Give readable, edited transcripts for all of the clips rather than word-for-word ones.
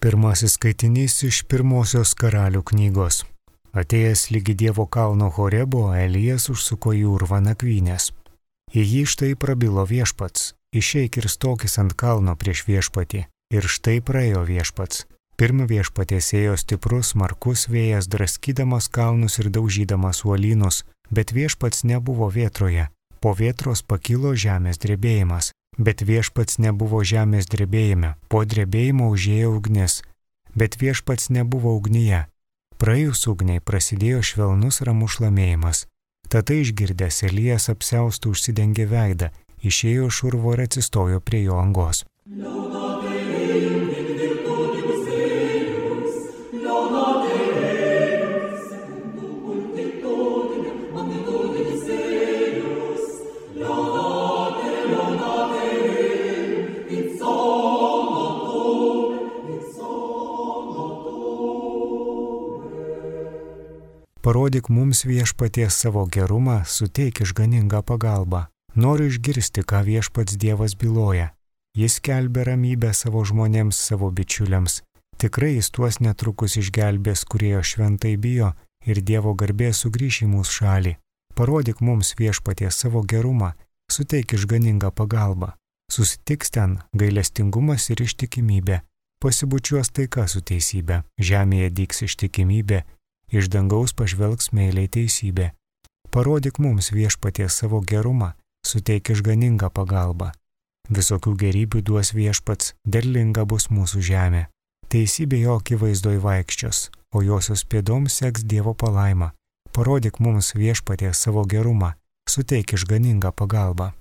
Pirmasis skaitinys iš pirmosios Karalių knygos. Atėjęs lygi Dievo kalno Horebo, Elijas užsuko į urvą nakvynės. Į jį štai prabilo viešpats: išeik ir stokis ant kalno prieš viešpatį. Ir štai praėjo viešpats. Pirm viešpatės ėjo stiprus, smarkus vėjas, draskydamas kalnus ir daužydamas uolynus, bet viešpats nebuvo vėtroje. Po vėtros pakilo žemės drebėjimas, bet viešpats nebuvo žemės drebėjime. Po drebėjimo užėjo ugnis, bet viešpats nebuvo ugnyje. Praėjus ugniai prasidėjo švelnus ramus šlamėjimas. Tada išgirdęs Elijas apsiaustų užsidengė veidą, išėjo iš urvo ir atsistojo prie jo angos. Parodyk mums viešpaties savo gerumą, suteik išganingą pagalbą. Noriu išgirsti, ką viešpats Dievas byloja. Jis skelbia ramybę savo žmonėms, savo bičiuliams. Tikrai jis tuos netrukus išgelbės, kurie jo šventai bijo, ir Dievo garbė sugrįš į mūsų šalį. Parodyk mums viešpaties savo gerumą, suteik išganingą pagalbą. Susitiks ten gailestingumas ir ištikimybė. Pasibučiuos taika su teisybė. Žemėje dygs ištikimybė. Iš dangaus pažvelgs meiliai teisybė. Parodyk mums viešpaties savo gerumą, suteik išganingą pagalbą. Visokių gerybių duos viešpats, derlinga bus mūsų žemė. Teisybė jo akivaizdoj vaikščios, o josios pėdoms seks Dievo palaima. Parodyk mums viešpaties savo gerumą, suteik išganingą pagalbą.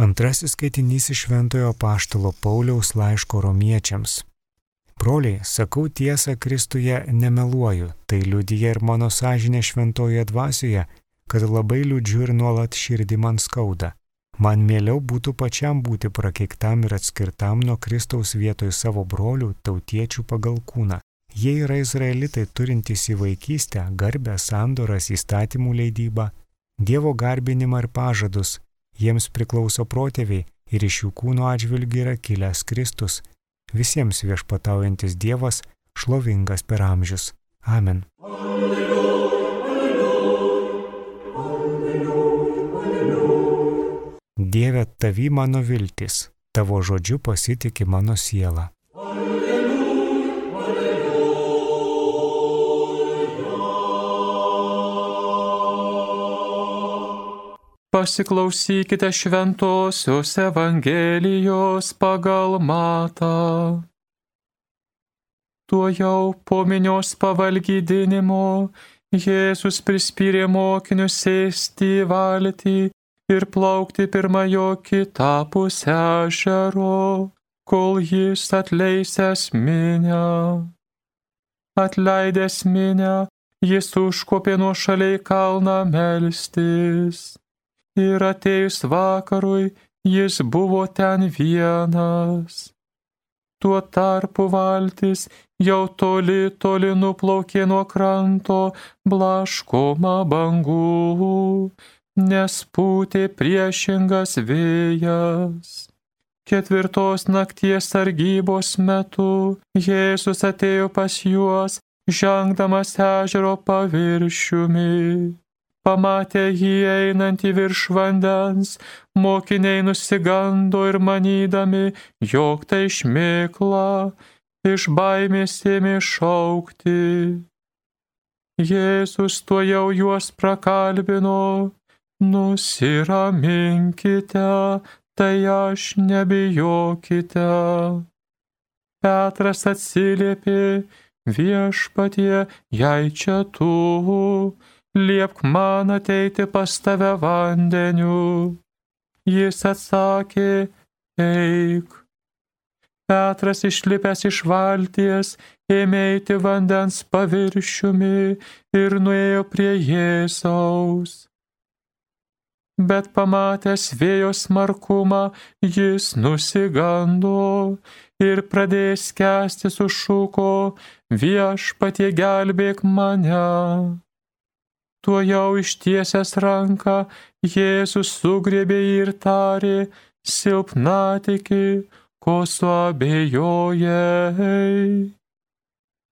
Antrasis skaitinys iš Šventojo apaštalo Pauliaus laiško Romiečiams. Broliai, sakau tiesą Kristuje, nemeluoju, tai liudija ir mano sąžinė šventojoje dvasioje, kad labai liūdžiu ir nuolat širdį man skauda. Man mieliau būtų pačiam būti prakeiktam ir atskirtam nuo Kristaus vietoj savo brolių, tautiečių pagal kūną. Jie yra izraelitai turintys į vaikystę, garbę, sandoras, įstatymų leidybą, Dievo garbinimą ir pažadus. Jiems priklauso protėviai ir iš jų kūno atžvilgių yra kilęs Kristus, visiems viešpataujantis Dievas, šlovingas per amžius. Amen. Dieve, tavy mano viltis, tavo žodžiu pasitiki mano siela. Pasiklausykite šventosios Evangelijos pagal Matą. Tuojau po minios pavalgydinimo Jėzus prispyrė mokinius sėsti į valtį ir plaukti pirma jo kitapus ežero, kol jis atleisęs minią. Atleidęs minią, jis užkopė nuošaliai kalną melstis. Ir atėjus vakarui, jis buvo ten vienas. Tuo tarpu valtis jau toli nuplaukė nuo kranto, blaškoma bangų, nes pūtė priešingas vėjas. 4 nakties sargybos metu Jėzus atėjo pas juos, žengdamas ežero paviršiumi. Pamatę jį einantį virš vandens, mokiniai nusigando ir manydami, jog tai šmėkla, iš baimės ėmė šaukti. Jėzus tuojau juos prakalbino: nusiraminkite, tai aš, nebijokite. Petras atsiliepė: viešpatie, jei čia tu, liepk man ateiti pas tave vandeniu. Jis atsakė: eik. Petras išlipęs iš valties ėmė eiti vandens paviršiumi ir nuėjo prie Jėzaus. Bet pamatęs vėjo smarkumą, jis nusigando ir pradėjęs skęsti sušuko: Viešpatie, gelbėk mane. Tuojau ištiesęs ranką, Jėzus sugriebė jį ir tarė: Silpnatiki, ko suabejojai?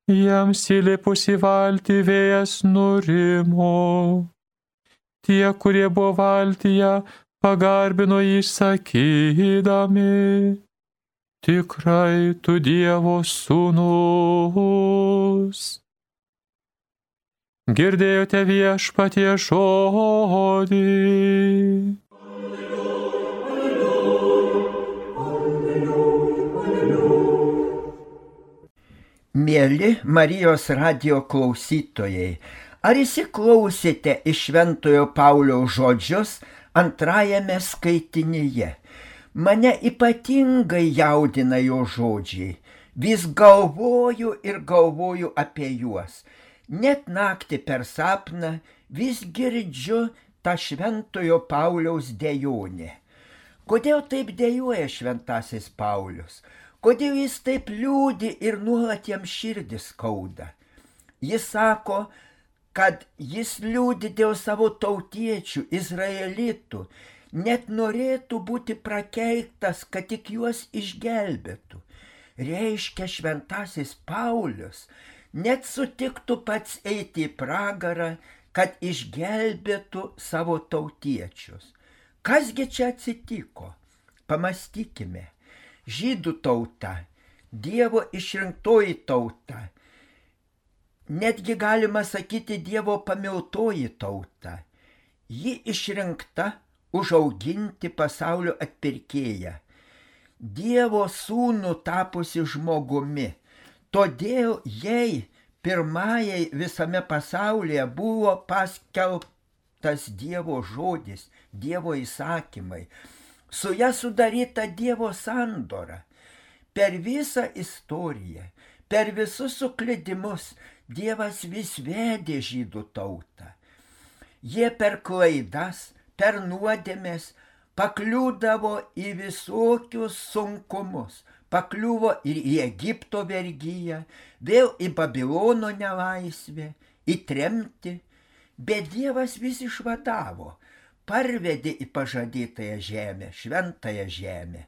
Jiems įlipus į valtį vėjas nurimo. Tie, kurie buvo valtyje, pagarbino jį sakydami: Tikrai tu Dievo sūnus. Girdėjote Viešpatie žodį. Mieli Marijos radijo klausytojai, ar įsiklausėte į Šventojo Pauliaus žodžius antrajame skaitinyje? Mane ypatingai jaudina jo žodžiai. Vis galvoju ir galvoju apie juos. Net naktį per sapną vis girdžiu tą Šventojo Pauliaus dejonę. Kodėl taip dejuoja šventasis Paulius? Kodėl jis taip liūdi ir nuolat jam širdį skauda? Jis sako, kad jis liūdi dėl savo tautiečių, izraelitų, net norėtų būti prakeiktas, kad tik juos išgelbėtų. Reiškia, šventasis Paulius net sutiktų pats eiti į pragarą, kad išgelbėtų savo tautiečius. Kasgi čia atsitiko? Pamastykime. Žydų tauta, Dievo išrinktoji tauta, netgi galima sakyti Dievo pamiltoji tauta. Ji išrinkta užauginti pasaulio atpirkėją, Dievo sūnų tapusi žmogumi. Todėl jai pirmajai visame pasaulyje buvo paskelbtas Dievo žodis, Dievo įsakymai. Su ja sudaryta Dievo sandora. Per visą istoriją, per visus suklydimus Dievas vis vedė žydų tautą. Jie per klaidas, per nuodėmes pakliūdavo į visokius sunkumus. Pakliuvo ir į Egipto vergiją, vėl į Babilono nelaisvę, į tremtį. Bet Dievas vis išvadavo. Parvedė į pažadėtąją žemę, šventąją žemę.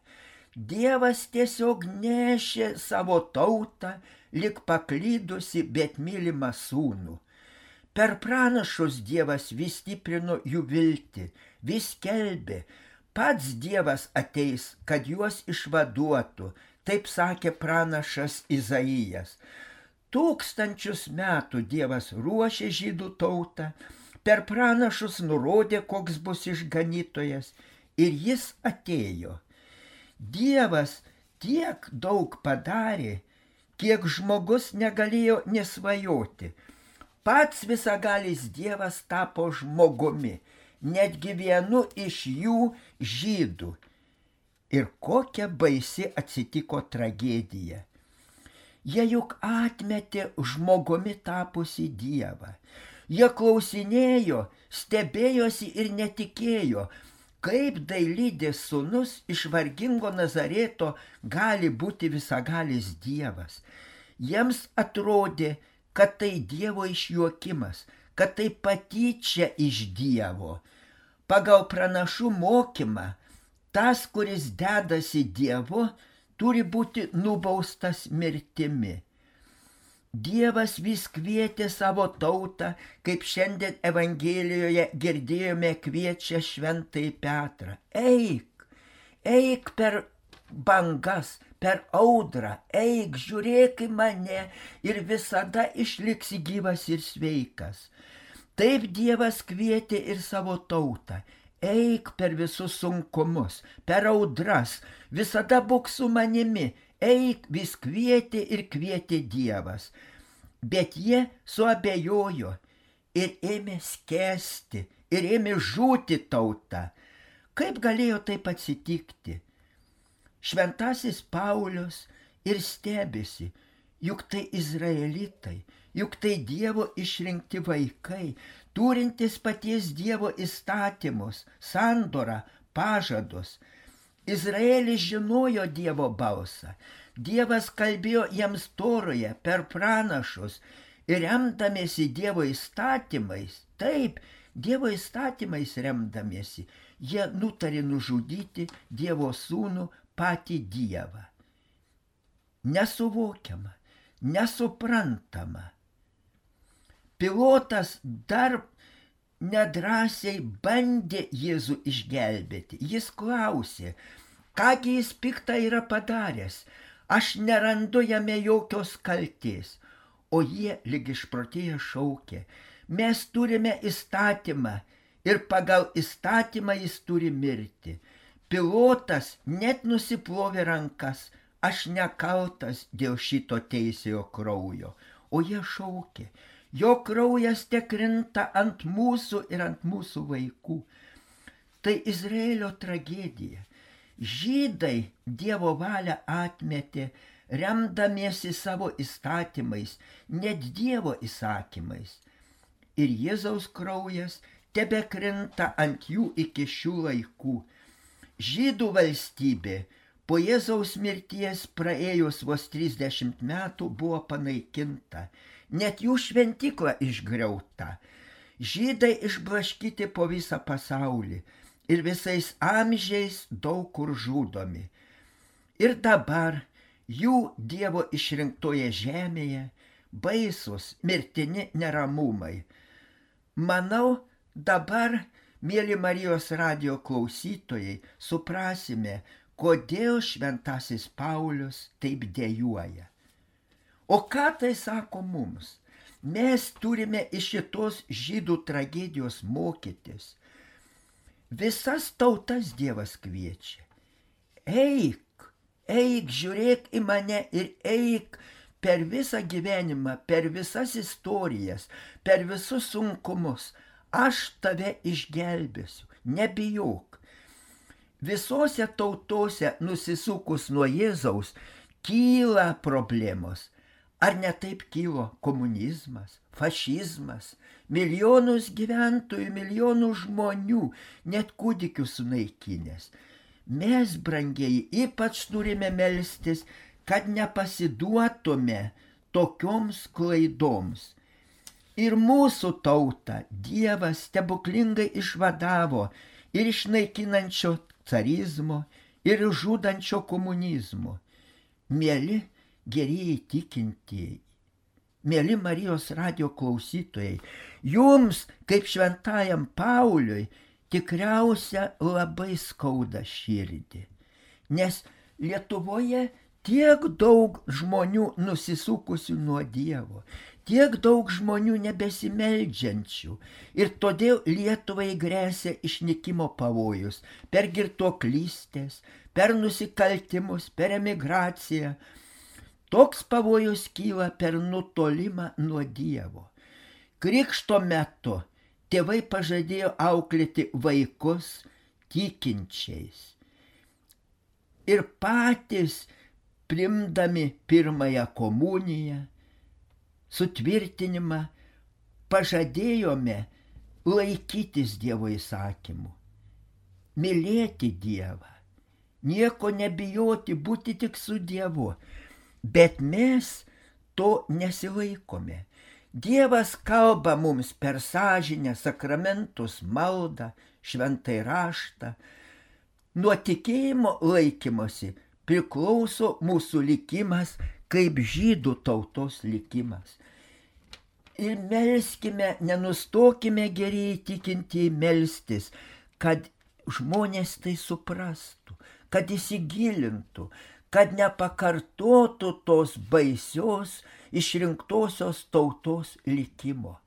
Dievas tiesiog nešė savo tautą, lyg paklydusi, bet mylimą sūnų. Per pranašus Dievas vis stiprino jų viltį, vis skelbė, pats Dievas ateis, kad juos išvaduotų, taip sakė pranašas Izaijas. 1000 metų Dievas ruošė žydų tautą, per pranašus nurodė, koks bus išganytojas, ir jis atėjo. Dievas tiek daug padarė, kiek žmogus negalėjo nesvajoti. Pats visagalis Dievas tapo žmogumi, netgi vienu iš jų žydų. Ir kokia baisi atsitiko tragedija. Jie juk atmetė žmogumi tapusi Dievą. Jie klausinėjo, stebėjosi ir netikėjo, kaip dailydės sūnus iš vargingo Nazareto gali būti visagalis Dievas. Jiems atrodė, kad tai Dievo išjuokimas, kad tai patyčia iš Dievo. Pagal pranašų mokymą, tas, kuris dedasi Dievu, turi būti nubaustas mirtimi. Dievas vis kvietė savo tautą, kaip šiandien Evangelijoje girdėjome, kviečia šventąjį Petrą. Eik per bangas, per audrą, eik, žiūrėk į mane ir visada išliksi gyvas ir sveikas. Taip Dievas kvietė ir savo tautą. Eik per visus sunkumus, per audras, visada būk su manimi. Eik, vis kvietė ir kvietė Dievas. Bet jie suabejojo ir ėmė skęsti, ir ėmė žūti tauta. Kaip galėjo taip atsitikti? Šventasis Paulius ir stebisi, juk tai izraelitai, juk tai Dievo išrinkti vaikai, turintis paties Dievo įstatymus, sandorą, pažadus. Izraelis žinojo Dievo balsą. Dievas kalbėjo jiems Toroje per pranašus ir remdamiesi Dievo įstatymais, taip, Dievo įstatymais remdamiesi, jie nutarė nužudyti Dievo sūnų patį Dievą. Nesuvokiama, nesuprantama. Pilotas dar nedrąsiai bandė Jėzų išgelbėti. Jis klausė, kągi jis piktą yra padaręs, aš nerandu jame jokios kaltės. O jie lyg išprotėję šaukė, mes turime įstatymą ir pagal įstatymą jis turi mirti. Pilotas net nusiplovė rankas, aš nekaltas dėl šito teisėjo kraujo. O jie šaukė, jo kraujas tekrinta ant mūsų ir ant mūsų vaikų. Tai Izraelio tragedija. Žydai Dievo valią atmetė, remdamiesi savo įstatymais, net Dievo įsakymais. Ir Jėzaus kraujas tebekrinta ant jų iki šių laikų. Žydų valstybė po Jėzaus mirties praėjus vos 30 metų buvo panaikinta, net jų šventykla išgriauta. Žydai išblaškyti po visą pasaulį ir visais amžiais daug kur žudomi. Ir dabar jų Dievo išrinktoje žemėje baisus mirtini neramumai. Manau, dabar, mėly Marijos radijo klausytojai, suprasime, kodėl šventasis Paulius taip dejuoja. O ką tai sako mums? Mes turime iš šitos žydų tragedijos mokytis. Visas tautas Dievas kviečia. Eik, žiūrėk į mane ir eik per visą gyvenimą, per visas istorijas, per visus sunkumus. Aš tave išgelbėsiu, nebijok. Visose tautose nusisukus nuo Jėzaus kyla problemos. Ar ne taip kilo komunizmas, fašizmas, milijonus gyventojų, milijonų žmonių, net kūdikių sunaikinęs. Mes, brangieji, ypač turime melstis, kad nepasiduotume tokioms klaidoms. Ir mūsų tautą Dievas stebuklingai išvadavo ir iš naikinančio carizmo, ir žudančio komunizmo. Mieli gerieji tikintieji, mieli Marijos radijo klausytojai, jums, kaip šventajam Pauliui, tikriausia labai skauda širdį, nes Lietuvoje tiek daug žmonių nusisukusių nuo Dievo, tiek daug žmonių nebesimeldžiančių ir todėl Lietuvai gresia išnykimo pavojus per girtuoklystės, per nusikaltimus, per emigraciją. Toks pavojus kyla per nutolimą nuo Dievo. Krikšto metu tėvai pažadėjo auklėti vaikus tikinčiais. Ir patys, priimdami pirmąją komuniją, sutvirtinimą, pažadėjome laikytis Dievo įsakymų, mylėti Dievą, nieko nebijoti, būti tik su Dievu. Bet mes to nesilaikome. Dievas kalba mums per sąžinę, sakramentus, maldą, šventai raštą. Nuo tikėjimo laikymosi priklauso mūsų likimas kaip žydų tautos likimas. Ir melskime, nenustokime gerieji tikintieji melstis, kad žmonės tai suprastų, kad įsigilintų, kad nepakartotų tos baisios išrinktosios tautos likimo.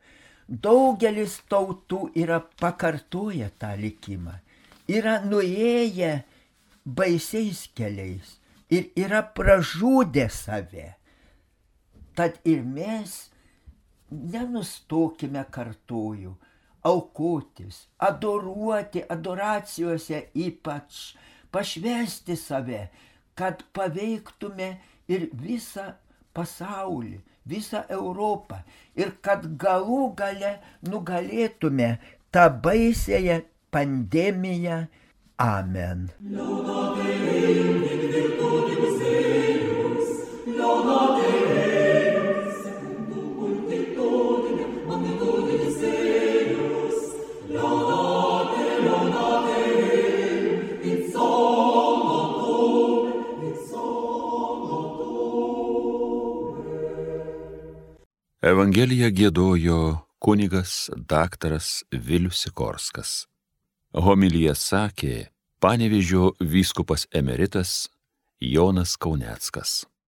Daugelis tautų yra pakartoję tą likimą, yra nuėję baisiais keliais ir yra pražudę save. Tad ir mes nenustokime, kartoju, aukotis, adoruoti, adoracijose ypač, pašvęsti save, kad paveiktume ir visą pasaulį, visą Europą ir kad galų gale nugalėtume tą baisėją pandemiją. Amen. Evangeliją giedojo kunigas daktaras Vilius Sikorskas. Homiliją sakė Panevėžio vyskupas emeritas Jonas Kauneckas.